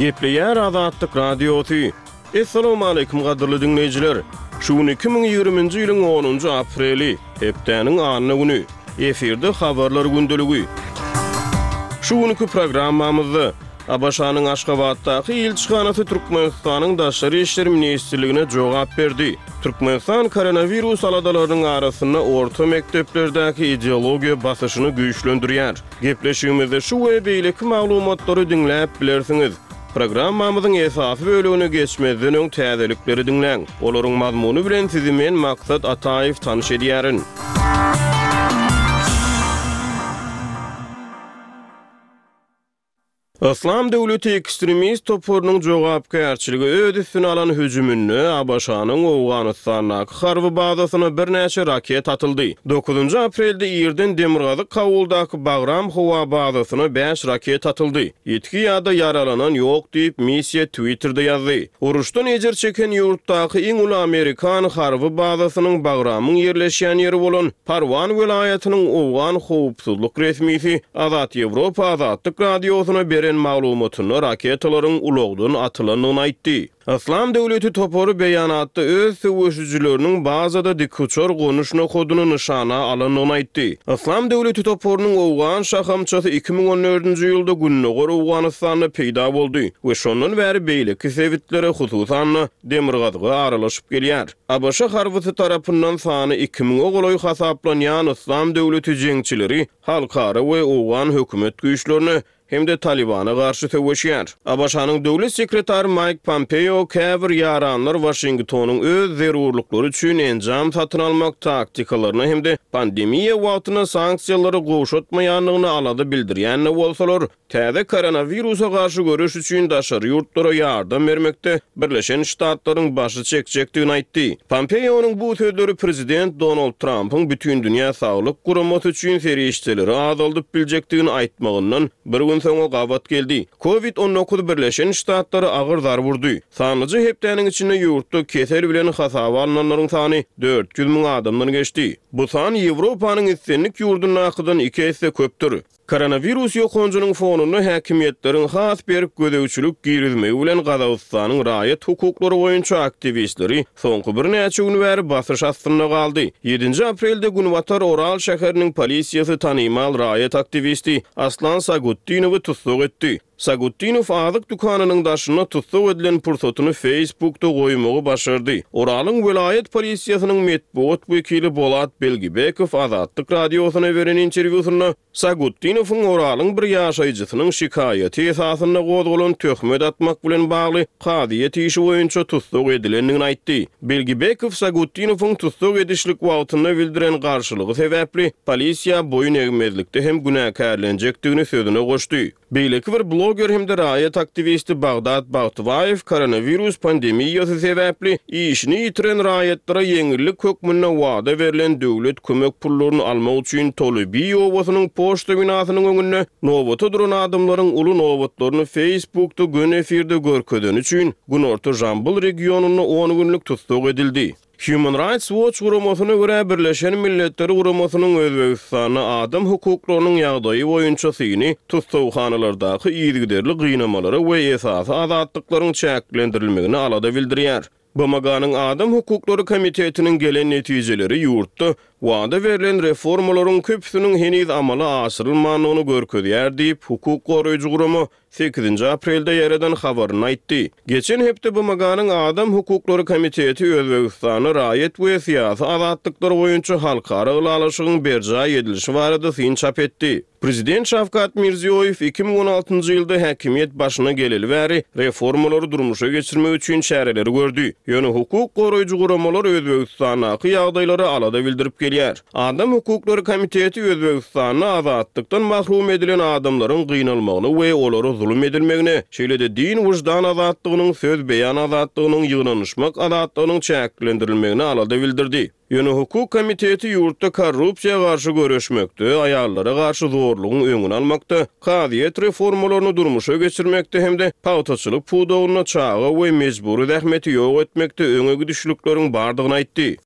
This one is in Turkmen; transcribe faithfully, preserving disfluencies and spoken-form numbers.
Gepleýär Azatlyk Radiosy. Essalawmaleýkim gadyrly diňleýjiler! Şu gün iki müň ýigriminji ýylyň onunjy apreli, hepdäniň anna güni. Efirde Habarlar gündeligi. Şu günki programmamyzda ABŞ-nyň Aşgabatdaky ilçihanasy Türkmenistanyň Daşary işler ministrligine jogap berdi. Türkmenistan koronawirus aladalarynyň arasynda orta mekdeplerdäki ideologiýa basyşyny güýçlendirýär. Gepleşigimizde şu we beýleki maglumatlary diňläp bilersiňiz. Programmamyzyň esasy bölegine geçmezden öň täzelikleri diňläň. Olaryň mazmuny bilen sizi men Maksat Ataýew tanyş edýärin. Yslam döwleti ekstremist toparynyň jogapkärçiligi öz üstüne alan hüjüminde ABŞ-nyň Owganystandaky harby bazasyna birnäçe raket atyldy. Dokuzynjy aprelde irden demirgazyk Kabuldaky Bagram howa bazasyna bäş raket atyldy. Ýitgi ýa-da ýaralanan ýok diýip, missiýa Twitterde ýazdy. Uruşdan ejir çeken ýurtdaky iň uly amerikan harby bazasynyň Bagramyň ýerleşýän ýeri bolan Parwan welaýatynyň owgan howpsuzlyk resmisi Azat Ýewropa Azatlyk Radiosyna beren maglumatynda raketalaryň ulagdan atylandygyny aýtdy. Yslam döwleti topary beýanatda öz söweşijileriniň bazada dikuçar gonuş nokadyny nyşana alandygyny aýtdy. Yslam döwleti toparynyň owgan şahamçasy iki müň on dördünji ýylda Gündogar Owganystanda peýda boldy we şondan bäri beýleki sebitlere, hususan-da, demirgazyga aralaşyp gelýär. ABŞ harbysy tarapyndan sany iki müňe golaý hasaplanýan Yslam döwleti jeňçileri halkara we owgan hökümet güýçlerine hem-de Talybana garşy söweşýär. ABŞ-nyň döwlet sekretary Maýk Pompeo käbir ýaranlar Waşingtonyň öz zerurlyklary üçin enjam satyn almak taktikalaryna hem-de pandemiýa wagtynda sanksiýalary gowşatmaýandygyna alada bildirýän-de bolsalar, täze koronawirusa garşy göreş üçin daşary ýurtlara ýardam bermekde Birleşen Ştatlaryň başy çekjekdigini aýtdy. Pompeonyň bu sözleri prezident Donald Trampyň Bütindünýä saglyk guramasy üçin serişdeleri azaldyp biljekdigini aýtmagyndan bir gün soňa gabat geldi. Covid on dokuz Birleşen Ştatlara agyr zarba urdy. Sanlyja hepdäniň içinde ýurtda kesel bilen hasaba alnanlaryň sany dört ýüz müň adamdan geçdi. Bu san Ýewropanyň islendik ýurdundakydan iki esse köpdür. Koronawirus ýokanjynyň fonunda häkimiýetleriň has berk gözegçilik girizmegi bilen Gazagystanyň raýat hukuklary boýunça aktiwistleri soňky birnäçe gün bäri basyş astynda galdy. Ýedinji aprelde Günbatar Oral şäheriniň polisiýasy tanymal raýat aktiwisti Aslan Sagutdinowy tussag etdi. Sagutdinow azyk dükanynyň daşynda tussag edilen pursatyny Facebookda goýmagy başardy. Oralyň welaýat polisiýasynyň metbugat wekili Bolat Belgibekow Azatlyk Radiosyna beren interwýusynda Sagutdinowyň Oralyň bir ýaşaýjysynyň şikaýaty esasynda gozgalan töhmet atmak bilen bagly kazyýet işi boýunça tussag edilendigini aýtdy. Belgibekow Sagutdinowyň tussag edişlik wagtynda bildiren garşylygy sebäpli polisiýa boýun egmezlikde hem günäkärlenjekdigini sözüne goşdy. Beýleki bir bloger hem-de raýat aktiwisti Bagdat Bagtybaýew koronawirus pandemiýasy sebäpli işini ýitiren raýatlara ýeňillik hökmünde wada berlen döwlet kömek pullaryny almak üçin Tolybiý obasynyň poçta binasynyň öňünde nobata duran adamlaryň uly nobatlaryny Facebookda göni efirde görkezeni üçin Günorta Jambyl regionynda on günlük tussag edildi. Human Rights Watch guramasyna görä, Birleşen Milletler Guramasynyň Özbegistanda adam hukuklarynyň ýagdaýy boýunça syny tussaghanalardaky yzygiderli gynamalara we esasy azatlyklaryň çäklendirilmegine alada bildirýär. B M G-nyň Adam hukuklary komitetiniň gelen netijeleri ýurtda wada berlen reformalaryň köpüsiniň heniz amala aşyrylmandygyny görkezýär diýip, hukuk goraýjy gurama sekizinji aprelde ýaradan habaryny aýtdy. Geçen hepde B M G-nyň Adam hukuklary komiteti Özbegistanda raýat we syýasy azatlyklar boýunça halkara ylalaşygyň berjaý edilişi barada syn çap etdi. Prezident Şawkat Mirziýoýew iki müň on altynjy ýylda häkimiýet başyna geleli bäri reformalary durmuşa geçirmek üçin çäreleri gördi. Ýöne hukuk goraýjy guramalar Özbegistandaky ýagdaýlara alada bildirip gelýär. Adam hukuklary komiteti Özbegistanda azatlykdan mahrum edilen adamlaryň gynalmagyny we olara zulum edilmegine, şeýle-de din wyždan azatlygynyň, söz beýan azatlygynyň, ýygnanyşmak azatlygynyň çäklendirilmegine alada bildirdi. Ýöne hukuk komiteti ýurtda korrupsiýa garşy göreşmekde, aýallara garşy zorlugyň öňüni almakda, kazyýet reformalaryny durmuşa geçirmekde hem-de pagtaçylyk pudagynda çaga we mejbury zähmeti ýok etmekde öňe gidişlikleriň bardygyny aýtdy.